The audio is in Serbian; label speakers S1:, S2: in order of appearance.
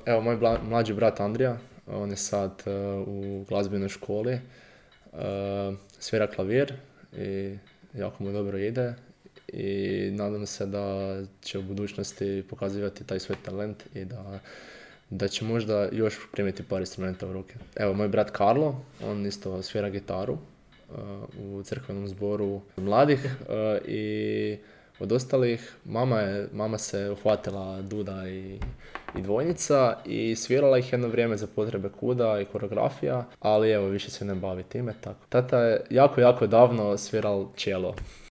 S1: Evo, moj mlađi brat Andrija, on je sad u glazbenoj školi, svira klavir i jako mu dobro ide i nadam se da će u budućnosti pokazivati taj svoj talent i da će možda još primiti par instrumenta u ruke. Evo, moj brat Karlo, on isto svira gitaru u crkvenom zboru mladih i od ostalih mama se uhvatila duda i dvojnica i svirala ih jedno vrijeme za potrebe kuda i koreografija, ali evo više se ne bavi time tako. Tata je jako davno sviral čelo.